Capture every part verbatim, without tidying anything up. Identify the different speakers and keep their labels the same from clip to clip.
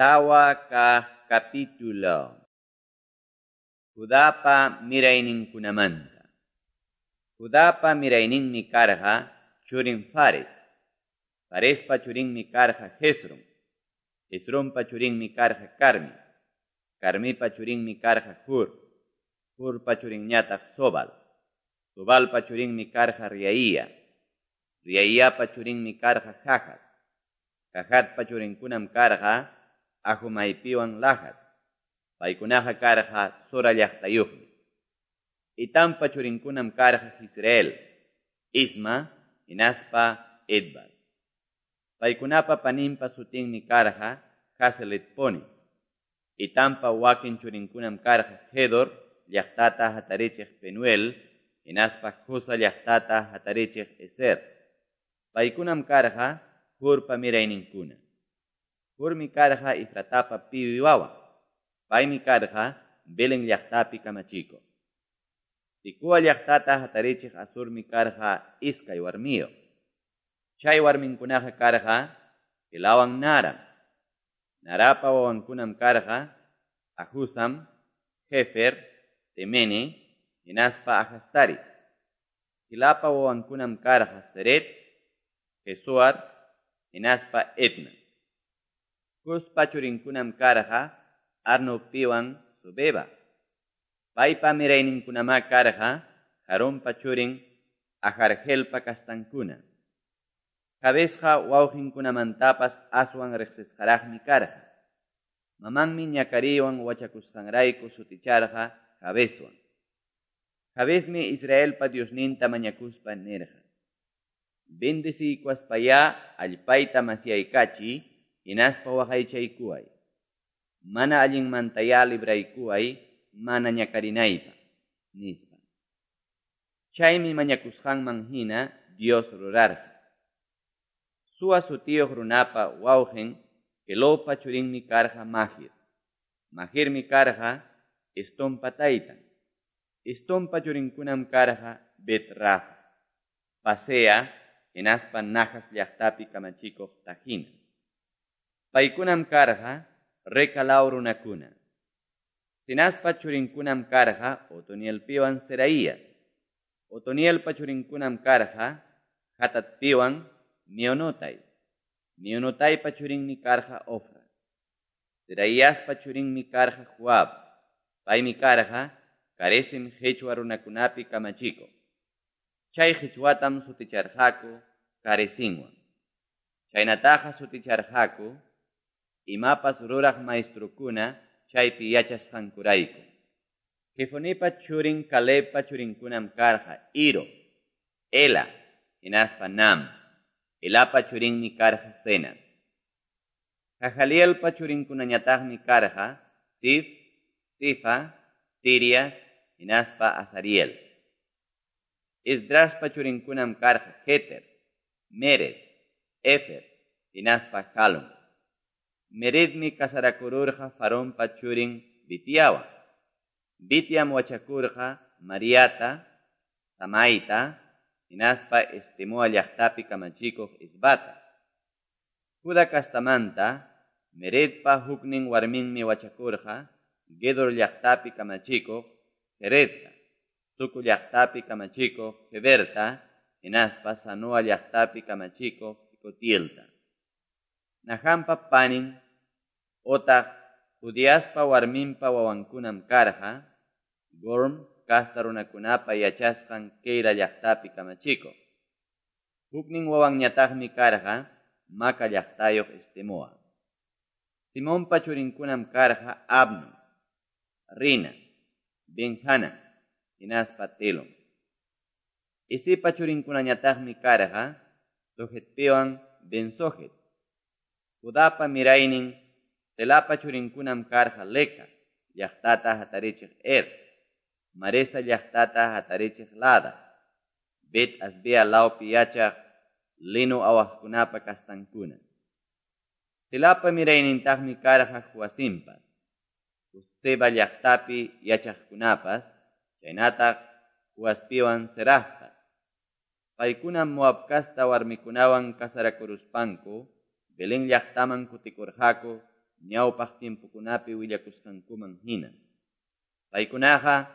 Speaker 1: Tawa kaq capítulo. Judapa mirayninkunamanta. Judapa mirayninmi karqa churin Fares. Farespa churinmi karqa Hezron. Hezronpa churinmi karqa Carmi. Carmipa churinmi karqa Hur. Hurpa churinñataq Sobal. Sobalpa churinmi karqa Riaía. Riaíapa churinmi karqa Jahat. Jahatpa churinkunam karqa Ahumaypiwan Lahat. Paykunaqa karqa Zora llaqtayuqmi. Itampa churinkunam karqa Jisrael, Isma, hinaspa Edbal. Paykunapa paninpa sutinmi karqa Haseletponi. Itampa wakin churinkunam karqa Gedor llaqtata hatarichiq Penuel, hinaspa Husa llaqtata hatarichiq Ezer. Paykunam karqa Hurpa mirayninkuna. Hurmi karqa Efratapa piwi wawan. Paymi karqa Belén llaqtapi kamachikuq. Tikua llaqtata hatarichiq Asurmi karqa iskay warmiyuq. Chay warminkunaqa karqa Helawan Naram. Narapa wawankunam karqa Ahuzam, Hefer, Temene, hinaspa Ahastari. Helapa wawankunam karqa Seret, Jesuar, hinaspa Etna. Cuspa churinkunam karqa Arnopiwan Sobeba. Paypa mirayninkunamá karqa Harompa churin Aharhelpa kastankuna. Jabesqa wawqinkunamantapas aswan riqsisqaraqmi karqa. Mamanmi ñakariwan wachakusqanrayku suticharqa Jabeswan. Jabesmi Israelpa Diosninta mañakuspa nirqa: Bendeciykuwaspayá allpayta masyaykachiy, hinaspa waqaychaykuway. Mana allinmantayá libraykuway, mana ñakarinaypaq, nispa. Chaymi mañakusqanman hina Dios rurarqa. Sua sutiyuq runapa wawqin Kelopa churinmi karqa Mahir. Mahirmi karqa Estonpa taytan. Estonpa churinkunam karqa Bet-Rafa, Pasea, hinaspa Nahas llaqtapi kamachikuq Tajina. Paykunam karqa Reca law runakuna. Sinaspa churinkunam karqa Otonielpiwan Seraías. Otonielpa churinkunam karqa Hatatpiwan Mionotay. Mionotaypa churinmi karqa Ofra. Seraíaspa churinmi karqa Joab. Paymi karqa Caresim qhichwa runakunapi kamachikuq. Chay qhichwatam suticharqaku Caresinwan. Chaynataqa suticharqaku imapas ruraq maestrukuna chaypi yachasqankurayku. Jefonipa churin Calebpa churinkunam karqa Iro, Ela, hinaspa Nam. Elapa churinmi karqa Zenas. Jahalielpa churinkunañataqmi karqa Sif, Sifa, Tirias, hinaspa Azariel. Esdraspa churinkunam karqa Jeter, Mered, Efer, hinaspa Jalon. Meredmi casarakururqa Faraonpa churin Bitiawan. Bitiam wachakurqa Mariata, Samaita, hinaspa Estemoa llaqtapi kamachikuq Isbata. Juda kastamanta Meredpa huknin warminmi wachakurqa Gedor llaqtapi kamachikuq Jeredta, Suco llaqtapi kamachikuq Heberta, hinaspa Sanoa llaqtapi kamachikuq Jecotielta. Nahampa panin otaq Judiaspa warminpa wawankunam karqa Gorm kasta runakunapa yachasqan Keila llaqtapi kamachikuq. Huknin wawanñataqmi karqa Maca llaqtayuq Estemoa. Simonpa churinkunam karqa Abnon, Rina, Benjana, hinaspa Telon. Isipa churinkunañataqmi karqa Sojetpiwan Bensojet. Judapa miraynin Selapa churinkunam karqa Leca llaqtata hatarichiq Er, Maresa llaqtata hatarichiq Lada, Bet Asbea lawpi yachaq lino awaqkunapa kastankuna. Selapa miraynintaqmi karqa Joacimpas, Seba llaqtapi yachaqkunapas, chaynataq Joaspiwan Serahpas. Paykunam Moab kasta warmikunawan casarakuruspanku Belén llaqtaman kutikurqaku ñawpaq tiempokunapi willakusqankuman hina. Paykunaqa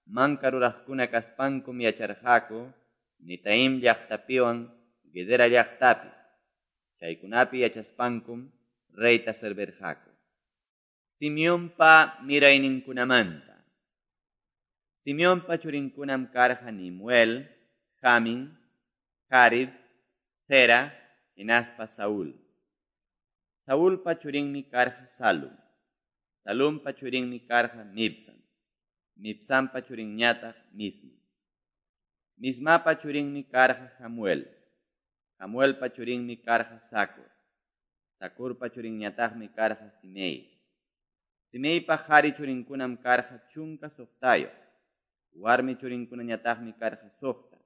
Speaker 1: manka ruraqkuna kaspankum yacharqaku Netaim llaqtapiwan Gedera llaqtapi. Chaykunapi yachaspankum reyta servirqaku. Simeonpa mirayninkunamanta. Simeonpa churinkunam karqa Nemuel, Jamin, Jarib, Zera hinaspa Saúl. Saulpa churinmi karqa Salum. Salumpa churinmi karqa Mibsam. Mibsampa churinñataq Misma. Mismapa churinmi karqa Hamuel. Hamuelpa churinmi karqa Zacur. Zacurpa churinñataqmi karqa Simei. Simeipa qari churinkunam karqa chunka suqtayuq. Warmi churinkunañataqmi karqa suqta.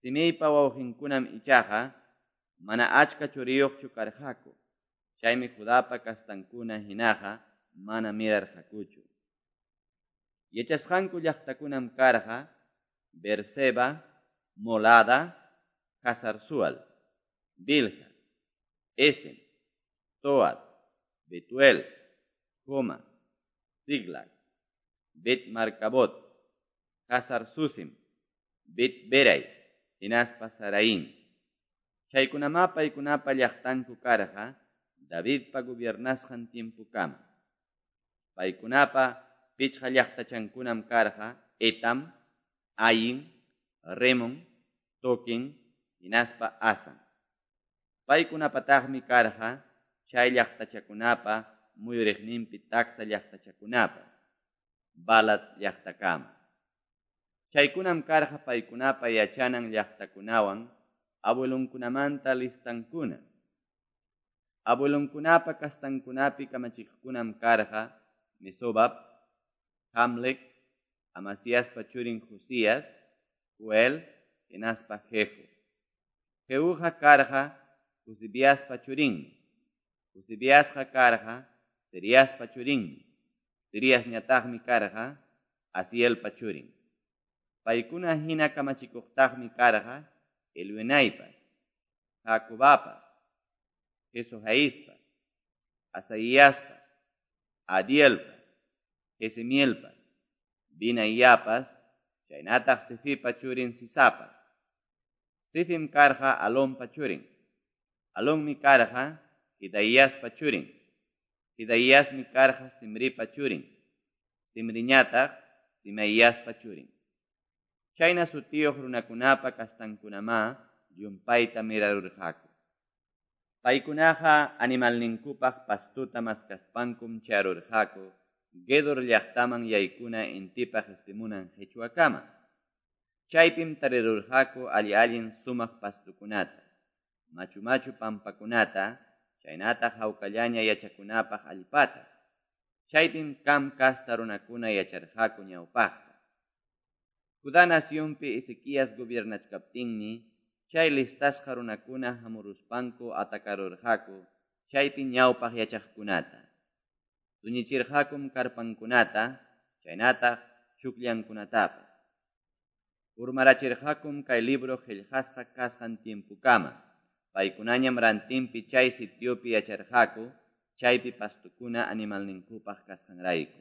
Speaker 1: Simeipa wawqinkunam ichaqa mana achka churiyuqchu karqaku. Chaymi Judapa kastankuna hinaqa mana mirarqakuchu. Yachasqanku llaqtakunam karqa Beerseba, Molada, Hazar-sual, Bilha, Esem, Toad, Betuel, Joma, Ziklag, Bet-marcabot, Hazar-susim, Bet-berai, hinaspa Saraín. Chaykunamá paykunapa llaqtanku karqa Davidpa gobiernasqan tiempokama. Paykunapa pichqa llaqtachankunam karqa Etam, Ain, Remon, Toquen, hinaspa Asan. Paykunapataqmi karqa chay llaqtachakunapa muyuriqninpi taksa llaqtachakunapas, Balat llaqtakama. Chaykunam karqa paykunapa yachanan llaqtakunawan abuelonkunamanta listankuna. Abuelonkunapa kastankunapi kamachiqkunam karqa Mesobab, Hamlec, Amasiaspa churin Josías, Joel, hinaspa Jehu. Jehuqa karqa Josibiaspa churinmi. Josibiasqa karqa Seriaspa churinmi. Seriasñataqmi karqa Asielpa churin. Paykuna hina kamachikuqtaqmi karqa Elioenaipas, Jacobapas, Jesohaispas, Asaíaspas, Adielpas, Jesimielpas, Binaiapas, chaynataq Sifipa churin Sisapas. Sifim karqa Alonpa churin. Alonmi karqa Jidaiaspa churin. Jidaiasmi karqa Simripa churin. Simriñataq Simeiaspa churin. Chayna sutiyuq runakunapa kastankunamá llumpayta mirarurqaku. Paykunaqa animalninkupaq pastuta maskaspankum charurqaku Gedor llaqtaman yaykuna intipa qispimunan qichwakama. Chaypim tarirurqaku alli-allin sumaq pastukunata, machu-machu pampakunata, chaynataq hawkallaña yachakunapaq allpata. Chaypim Cam kasta runakuna yacharqaku ñawpaqta. Judá nacionpi Ezequías gobiernachkaptinmi, chay listasqa runakuna hamuruspanku atacarurqaku chaypi ñawpaq yachaqkunata. Tuñichirqakum karpankunata, chaynataq chukllankunatapas. Urmarachirqakum kay libro qillqasqa kasqan tiempokama. Paykunañam rantinpi chay sitiopi yacharqaku, chaypi pastukuna animalninkupaq kasqanrayku.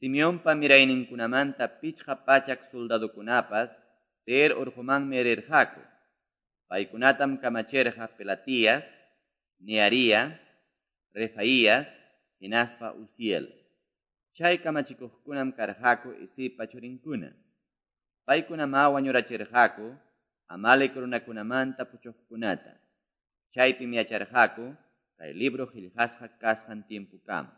Speaker 1: Simeonpa mirayninkunamanta pichqa pachak soldadokunapas Seir urqumanmi rirqaku. Paykunatam kamachirqa Pelatías, Nearía, Refaías, hinaspa Uziel. Chay kamachikuqkunam karqaku Isipa churinkuna. Paykunamá wañurachirqaku Amalek runakunamanta puchuqkunata. Chaypim yacharqaku kay libro qillqasqa kasqan tiempokama.